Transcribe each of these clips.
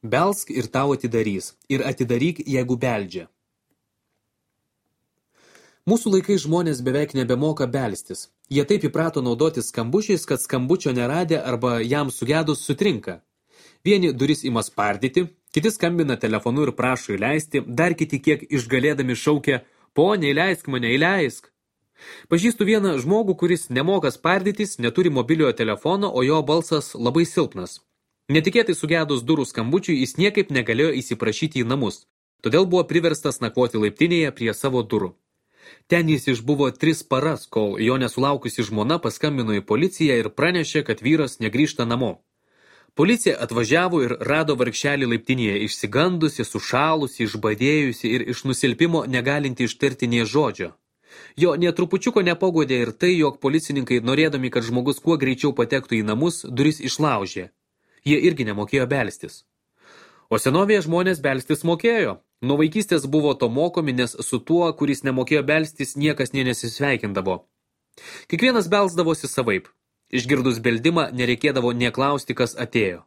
Belsk ir tau atidarys, ir atidaryk, jeigu beldžia. Mūsų laikais žmonės beveik nebemoka belstis. Jie taip įprato naudotis skambučiais, kad skambučio neradę arba jam sugedus sutrinka. Vieni duris ima spardyti, kiti skambina telefonu ir prašo įleisti, dar kiti kiek išgalėdami šaukia, ponė, įleisk mane, įleisk. Pažįstu vieną žmogų, kuris nemoka spardytis, neturi mobiliojo telefono, o jo balsas labai silpnas. Netikėtai sugedus durų skambučiui, jis niekaip negalėjo įsiprašyti į namus, todėl buvo priverstas nakvoti laiptinėje prie savo durų. Ten jis išbuvo 3 paras, kol jo nesulaukusi žmona paskambino į policiją ir pranešė, kad vyras negrįžta namo. Policija atvažiavo ir rado vargšelį laiptinėje išsigandusi, sušalusi, išbadėjusi ir iš nusilpimo negalinti ištarti nė žodžio. Jo netrupučiuko nepagodė ir tai, jog policininkai, norėdami, kad žmogus kuo greičiau patektų į namus, duris išlaužė. Jie irgi nemokėjo belstis. O senovėje žmonės belstis mokėjo. Nuo vaikystės buvo to mokomi, nes su tuo, kuris nemokėjo belstis, niekas nesisveikindavo. Kiekvienas belsdavosi savaip. Išgirdus beldimą nereikėdavo neklausti, kas atėjo.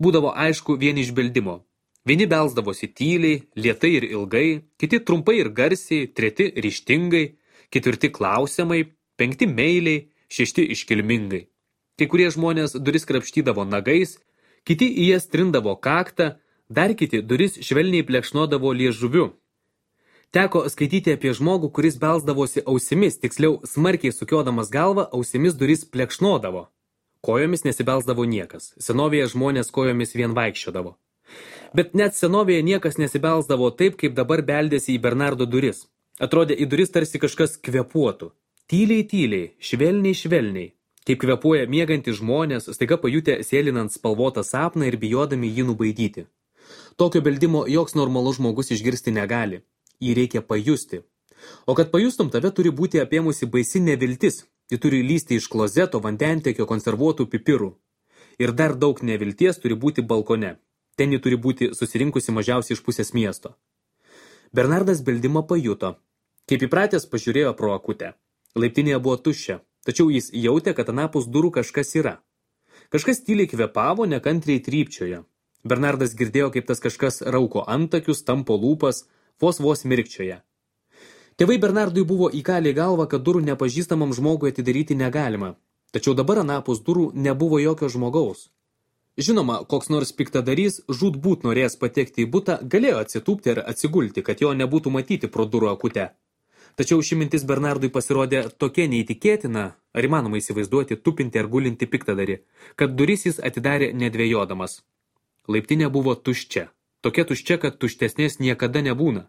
Būdavo aišku vien iš beldimo. Vieni belsdavosi tyliai, lėtai ir ilgai, kiti trumpai ir garsiai, treti ryžtingai, ketvirti klausiamai, 5 meiliai, 6 iškilmingai. Kai kurie žmonės duris krapštydavo nagais, kiti į jas trindavo kaktą, dar kiti duris švelniai plekšnodavo liežuviu. Teko skaityti apie žmogų, kuris belsdavosi ausimis, tiksliau smarkiai sukiodamas galvą, ausimis duris plekšnodavo. Kojomis nesibelsdavo niekas, senovėje žmonės kojomis vien vaikščiodavo. Bet net senovėje niekas nesibelsdavo taip, kaip dabar beldėsi į Bernardo duris. Atrodė, į duris tarsi kažkas kvepuotų. Tyliai, tyliai, švelniai, švelniai. Kaip kvepuoja miegantys žmonės, staiga pajutę sėlinant spalvotą sapną ir bijodami jį nubaidyti. Tokio beldimo joks normalus žmogus išgirsti negali. Jį reikia pajusti. O kad pajustum, tave turi būti apėmusi baisi neviltis. Ji turi lysti iš klozeto, vandentiekio, konservuotų pipirų. Ir dar daug nevilties turi būti balkone. Ten ji turi būti susirinkusi mažiausiai iš pusės miesto. Bernardas beldimą pajuto. Kaip įpratęs pažiūrėjo pro akutę. Laiptinėje buvo tuščia, tačiau jis jautė, kad anapus durų kažkas yra. Kažkas tyliai kvepavo, nekantriai trypčiojo. Bernardas girdėjo, kaip tas kažkas rauko antakius, tampo lūpas, vos mirkčioja. Tėvai Bernardui buvo įkalę į galvą, kad durų nepažįstamam žmogui atidaryti negalima. Tačiau dabar anapus durų nebuvo jokio žmogaus. Žinoma, koks nors piktadarys, žūtbūt norėjęs patekti į butą, galėjo atsitūpti ir atsigulti, kad jo nebūtų matyti pro durų akutę. Tačiau ši mintis Bernardui pasirodė tokia neįtikėtina, ar įmanoma įsivaizduoti tupinti ar gulinti piktadarį, kad duris jis atidarė nedvejodamas. Laiptinė buvo tuščia, tokia tuščia, kad tuštesnės niekada nebūna.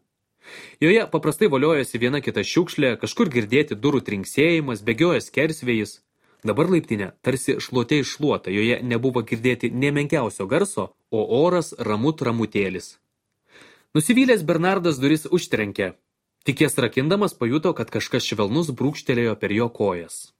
Joje paprastai voliojosi viena kita šiukšlė, kažkur girdėti durų trinksėjimas, bėgioja skersvėjis. Dabar laiptinė tarsi šluotė iššluota, joje nebuvo girdėti nė menkiausio garso, o oras ramutėlis. Nusivylęs Bernardas duris užtrenkė. Tik jas rakindamas pajuto, kad kažkas švelnus brūkštelėjo per jo kojas.